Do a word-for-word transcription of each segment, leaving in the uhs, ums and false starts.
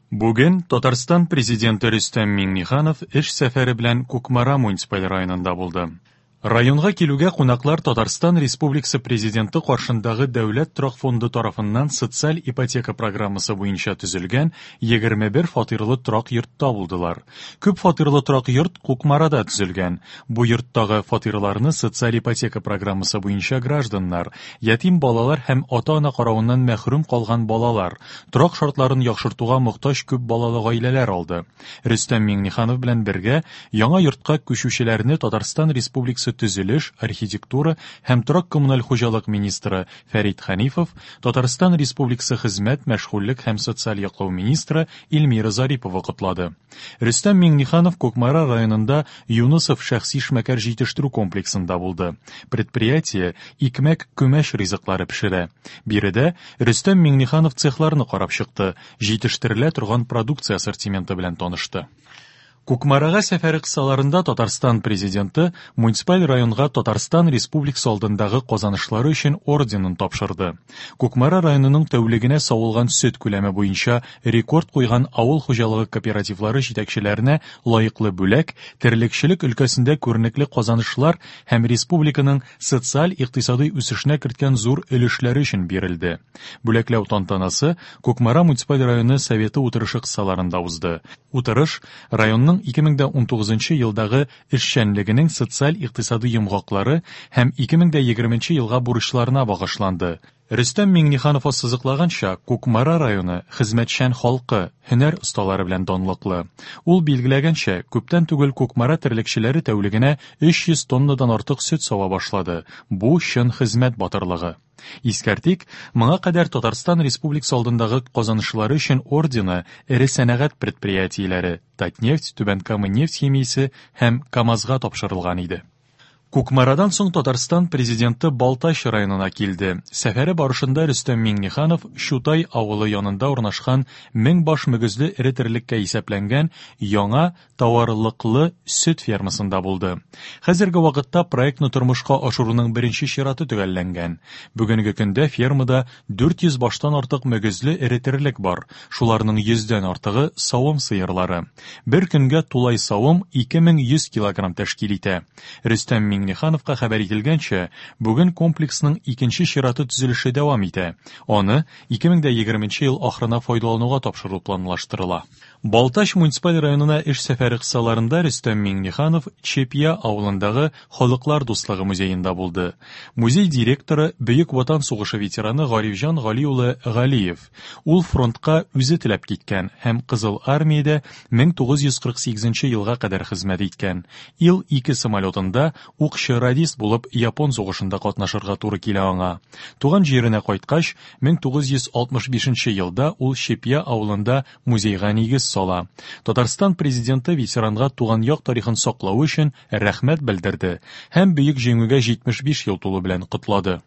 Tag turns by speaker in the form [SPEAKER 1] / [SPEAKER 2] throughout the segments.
[SPEAKER 1] Бүген Татарстан Президенты Рөстәм Миңнеханов эш сәфәре белән Кукмара муниципаль районында булды. Районга килүгә кунаклар Татарстан Республикасы Президенты каршындагы Дәүләт торак фонды тарафыннан социаль ипотека программасы буенча төзелгән егерме бер фатирлы торак йортта булдылар. Күп фатирлы торак йорт Кукмарада төзелгән. Бу йорттагы фатирларны социаль ипотека программасы буенча гражданнар, ятим балалар һәм ата-ана каравыннан мәхрүм калган балалар, торак шартларын яхшыртуга мохтаҗ күп балалы гаиләләр алды. Рөстәм Миңнеханов белән бергә яңа йортка күчүчеләрне Татарстан Республикасы төзелеш, архитектура һәм торак-коммуналь хуҗалык министры Фәрит Хәнифов, Татарстан Республикасы хезмәт, мәшгульлек һәм социаль яклау министры Эльмира Зарипова котлады. Рөстәм Миңнеханов Кукмара районында Юнысов шәхси эшмәкәр җитештерү комплексында булды. Предприятие икмәк, күмәч ризыклары пешерә. Биредә Рөстәм Миңнеханов цехларны карап чыкты, җитештерелә торган продукция ассортименты белән танышты. Кукмарага сәфәре кысаларында Татарстан Президенты муниципаль районга Татарстан Республикасы алдындагы казанышлары өчен орденын тапшырды. Кукмара районының тәүлегенә савылган сөт күләме буенча рекорд куйган авыл хуҗалыгы кооперативлары җитәкчеләренә лаеклы бүләк, терлекчелек өлкәсендә күренекле казанышлар һәм республиканың социаль-икътисадый үсешенә керткән зур өлешләре өчен бирелде. Бүләкләү тантанасы Кукмара муниципаль районы советы утырышы кысаларында узды. Утырыш районның ике мең дә унтугызынчы елдагы эшчәнлегенең социаль-икътисадый йомгаклары һәм ике мең дә егерменче елга бурычларына багышланды. Рөстәм Миңнеханов ассызыклаганча, Кукмара районы хезмәтчән халкы, һөнәр осталары белән данлыклы. Ул билгеләгәнчә, күптән түгел Кукмара терлекчеләре тәүлегенә өч йөз тоннадан артык сөт сава башлады. Бу чын хезмәт батырлыгы. Искәртик, моңа кадәр Татарстан Республикасы алдындагы казанышлары өчен ордены эре сәнәгать предприятиеләре Татнефть, Түбән Кама нефть химиясе һәм КАМАЗга тапшырылган иде. Кукмарадан соң Татарстан Президенты Балтач районына килде. Сәфәре барышында Рөстәм Миңнеханов Чутай авылы янында урнашкан мең баш мөгезле эре терлеккә исәпләнгән яңа товарлыклы сөт фермасында булды. Хәзерге вакытта проектны тормышка ашыруның беренче чираты төгәлләнгән. Бүгенге көндә фермада дүрт йөз баштан артык мөгезле эре терлек бар. Шуларның йөздән артыгы савым сыерлары. Бер көнгә тулай савым ике мең йөз килограмм тәшкил итә. Рөстәм Миңнехановка хәбәр ителгәнчә, бүген комплексның икенче чираты төзелеше дәвам итә. Аны ике мең дә егерменче ел ахырына файдалануга тапшыру планлаштырыла. Балтач муниципаль районына эш сәфәре кысаларында Рөстәм Миңнеханов Чепья авылындагы Халыклар дуслыгы музеенда булды. Музей директоры Бөек Ватан сугышы ветераны Гарифҗан Гали улы Галиев. Ул фронтка үзе теләп киткән һәм Кызыл армиядә мең тугыз йөз кырык сигезенче елга кадәр хезмәт иткән. Ил ике самолетында укчы радист булып Япон сугышында катнашырга туры килә аңа. Туган җиренә кайткач, мең тугыз йөз алтмыш бишенче елда ул Чепья авылында музейга нигез сала. Татарстан президенты ветеранга туган як тарихын саклау өчен рәхмәт белдерде һәм Бөек Җиңүгә җитмеш биш ел тулу белән котлады.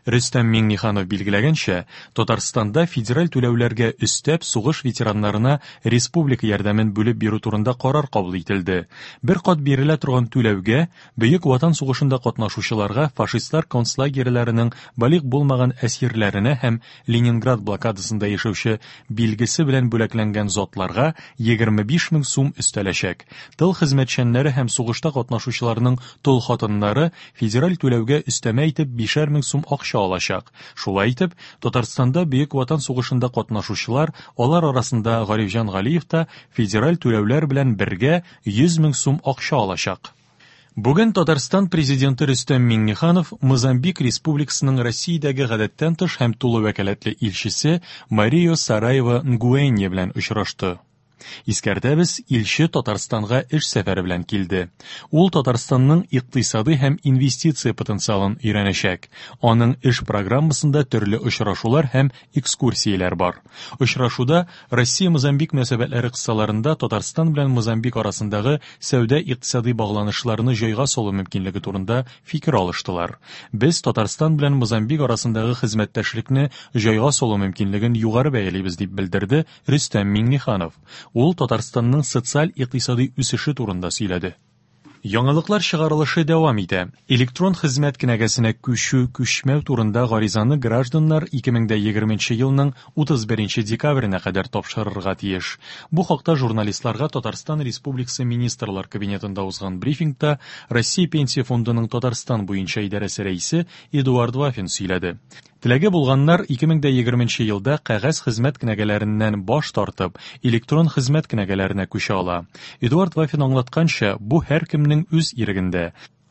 [SPEAKER 1] Рөстәм Миңнеханов билгеләгәнчә, Татарстанда федераль түләүләргә өстәп сугыш ветераннарына республика ярдәмен бүлеп бирү турында карар кабул ителде. Бер кат бирелә торган түләүгә Бөек Ватан сугышында катнашучыларга фашистлар концлагерьләренең балигъ булмаган әсирләренә һәм Ленинград блокадасында яшәүче билгесе белән бүләкләнгән затларга егерме биш мең сум өстәләчәк. Тыл хезмәтчәннәре һәм сугышта катнашучыларның тол хатыннары федераль түләүгә өстәмә итеп бишәр мең сум акча алачак. Шулай итеп, Татарстанда Бөек Ватан сугышында катнашучылар, алар арасында Гарифҗан Галиев та федераль түләүләр белән бергә йөз мең сум акча алачак. Бүген Татарстан президенты Рөстәм Миңнеханов Мозамбик Республикасының Россиядәге гадәттән тыш һәм тулы вәкаләтле илчесе Марио Сараева Нгуэнья белән очрашты. Искәртәбез, илче Татарстанга эш сәфәре белән килде. Ул Татарстанның икътисадый һәм инвестиция потенциалын өйрәнәчәк. Аның эш программасында төрле очрашулар һәм экскурсияләр бар. Очрашуда Россия-Мозамбик мөнәсәбәтләре кысаларында Татарстан белән Мозамбик арасындагы сәүдә-икътисадый багланышларны җайга салу мөмкинлеге турында фикер алыштылар. Без Татарстан белән Мозамбик арасындагы хезмәттәшлекне җайга салу мөмкинлеген югары бәялибез, дип белдерде Рөстәм Миңнеханов. Ул Татарстанның социаль-икътисадый үсеше турында сөйләде. Яңалыклар чыгарылышы дәвам итә. Электрон хезмәт кенәгәсенә күчү, күчмәү турында гаризаны гражданнар ике мең дә егерменче елның утыз беренче декабренә кадәр тапшырырга тиеш. Бу хакта журналистларга Татарстан Республикасы Министрлар Кабинетында узган брифингта Россия Пенсия фондының Татарстан буенча идарәсе рәисе Эдуард Вафин сөйләде. Теләге булганнар ике мең дә егерменче елда кәгазь хезмәт кенәгәләреннән баш тартып, электрон хезмәт кенәгәләренә күчә ала. Эдуард Вафин аңлатканча, бу һәркемнең үз ирегендә.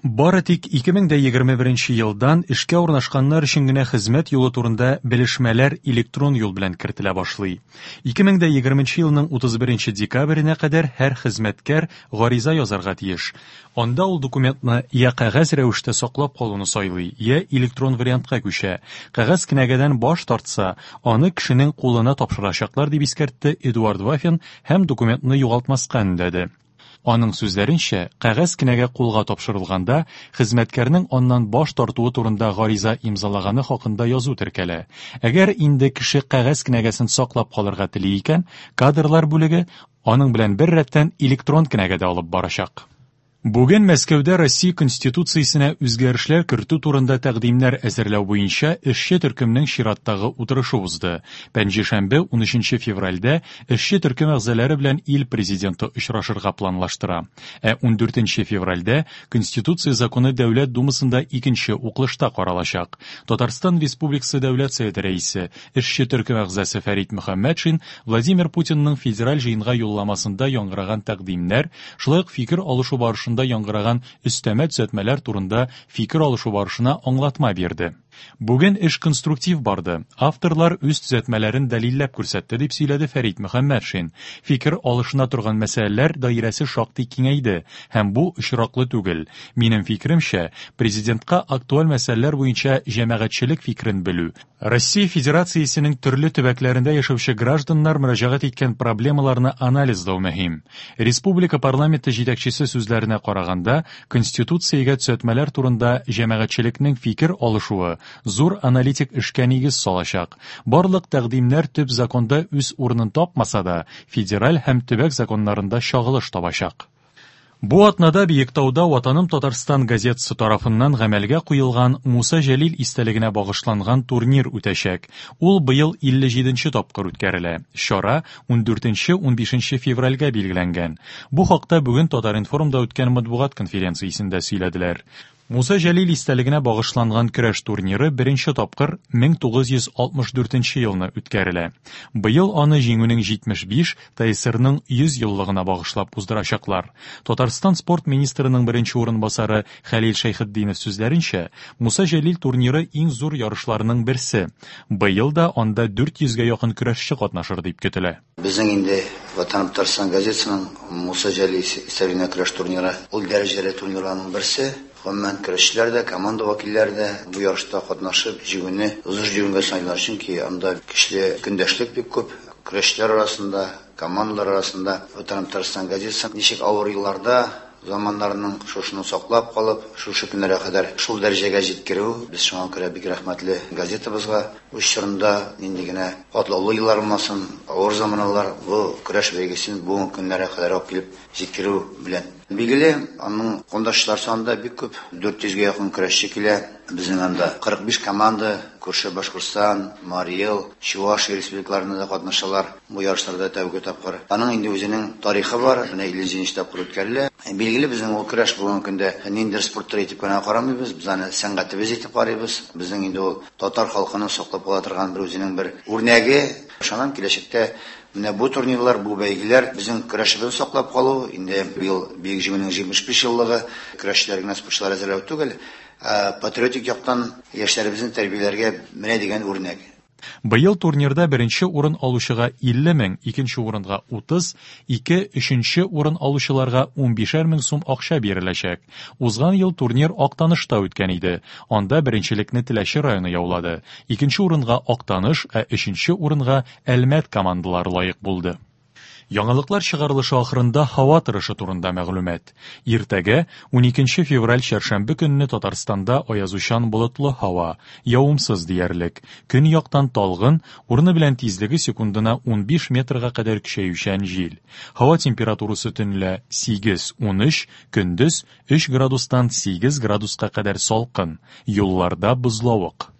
[SPEAKER 1] Бары тик ике мең дә егерме беренче елдан эшкә урнашканнар өчен генә хезмәт юлы турында белешмәләр электрон юл белән кертелә башлый. Ике мең дә егерменче елның утыз беренче декабренә кадәр һәр хезмәткәр гариза язарга тиеш. Анда ул документны я кәгазь рәвештә саклап калуны сайлый, я электрон вариантка күчә. Кәгазь кенәгәдән баш тартса, аны кешенең кулына тапшырачаклар дип искәртте Эдуард Вафин һәм документны югалтмаска өндәде. Аның сүзләренчә, кәгазь кенәгә кулга тапшырылганда, хезмәткәрнең аннан баш тартуы турында гариза имзалаганы хакында язу теркәлә. Әгәр инде кеше кәгазь кенәгәсен саклап калырга тели икән, кадрлар бүлеге аның белән бер рәттән электрон кенәгә дә алып барачак. Бүген Мәскәүдә Россия Конституциясенә үзгәрешләр кертү турында тәкъдимнәр әзерләү буенча эшче төркемнең чираттагы утырышы узды. Пәнҗешәмбе унөченче февральдә эшче төркем әгъзалары белән ил президенты очрашырга планлаштыра. Ә ундүртенче февральдә Конституция законы Дәүләт Думасында икенче укылышта каралачак. Татарстан Республикасы Дәүләт Советы рәисе, эшче төркем әгъзасы Фәрит Мөхәммәтшин Владимир Путинның федераль җыенга юлламасында яңгыраган тәкъдимнәр, шулай ук фикер алышу барышында яңгыраган өстәмә төзәтмәләр турында фикер алышу барышына аңлатма бирде. Бүген эш конструктив барды. Авторлар үз төзәтмәләрен дәлилләп күрсәтте, дип сөйләде Фәрит Мөхәммәтшин. Фикер алышына торган мәсьәләләр даирәсе шактый киңәйде һәм бу очраклы түгел. Минем фикеремчә, президентка актуаль мәсьәләләр буенча җәмәгатьчелек фикерен белү, Россия Федерациясенең төрле төбәкләрендә яшәүче гражданнар мөрәҗәгать иткән проблемаларны анализлау мөһим. Республика парламенты җитәкчесе сүзләренә караганда, Конституциягә төзәтмәләр турында җәмәгатьчелекнең фикер алышуы зур аналитик эшкә нигез салачак. Барлык тәкъдимнәр төп законда үз урынын тапмаса да, федераль һәм төбәк законнарында чагылыш табачак. Бу атнада Биектауда Ватаным Татарстан газетасы тарафыннан гамәлгә куелган Муса Җәлил истәлегенә багышланган турнир үтәчәк. Ул быел илле җиденче тапкыр үткәрелә. Чара ундүртенче унбишенче февральгә билгеләнгән. Бу хакта бүген Татар-информда үткән матбугат конференциясендә сөйләделәр. Муса Җәлил истәлегенә багышланган көрәш турниры беренче тапкыр мең тугыз йөз алтмыш дүртенче елны үткәрелә. Быел аны җиңүнең җитмеш биш, ТСРның йөз еллыгына багышлап уздырачаклар. Татарстан спорт министрының беренче урынбасары Хәлил Шәйхетдинов сүзләренчә, Муса Җәлил турниры иң зур ярышларның берсе. Быел да анда дүрт йөзгә якын көрәшче катнашыр дип көтелә.
[SPEAKER 2] Безнең инде Ватаным Татарстан газетасының Муса Җәлил истәлегенә көрәш турниры ул дәрәҗәле турнирларның берсе. Гомумән көрәшчеләр дә, команда вәкилләре дә бу ярышта катнашып җиңүне зур җиңүгә саныйлар, чөнки анда көчле көндәшлек бик күп. Көрәшчеләр арасында, командалар арасында Ватаным Татарстан газетасы ничек авыр елларда заманнарының шушыны саклап калып, шушы көннәргә кадәр шул дәрәҗәгә җиткерү, без шуңа күрә бик рәхмәтле газетабызга. Үз чорында нинди генә катлаулы еллар булмасын, авыр заманалар, бу көрәш бәйгесен бүгенге көннәргә кадәр алып килеп җиткерү белән. Билгеле, аның кондашлар саны да бик күп, дүрт йөзгә якын көрәшче килә. Безнең анда кырык биш команда, күрше Башкортстан, Марий Эл, Чувашия республикаларында да катнашалар бу ярышларда тәүге тапкыр. Аның инде үзенең тарихы бар, менә илле җиденче тапкыр үткәрелә. Билгеле, безнең ул көрәш бүгенге көндә ниндидер спорт төре итеп кенә карамыйбыз, без аны сәнгатебез итеп карыйбыз. Безнең инде ул татар халкының саклап кала торган бер үзенең бер үрнәге. Ышанам, киләчәктә менә бу турнирлар, бу бәйгеләр безнең көрәшебезне саклап калу, инде быел Бөек Җиңүнең җитмеш биш еллыгы көрәшчеләр генә, спортчылар әзерләү түгел, ә патриотик яктан яшьләребезне тәрбияләргә менә дигән үрнәк.
[SPEAKER 1] Быел турнирда беренче урын алучыга илле мең, икенче урынга утыз, ике, өченче урын алучыларга унбишәр мең сум акча биреләчәк. Узган ел турнир Актанышта үткән иде. Анда беренчелекне Теләче районы яулады. Икенче урынга Актаныш, ә өченче урынга Әлмәт командалары лаек булды. Яңалыклар чыгарылышы ахырында һава торышы турында мәгълүмат. Иртәгә, уникенче февраль чәршәмбе көнне Татарстанда аязучан болытлы һава, явымсыз диярлек. Көньяктан талгын, урыны белән тизлеге секундына унбиш метрга кадәр көчәючән җил. Һава температурасы төнлә сигез-унөч, көндез өч градустан сигез градуска кадәр салкын. Юлларда бозлавык.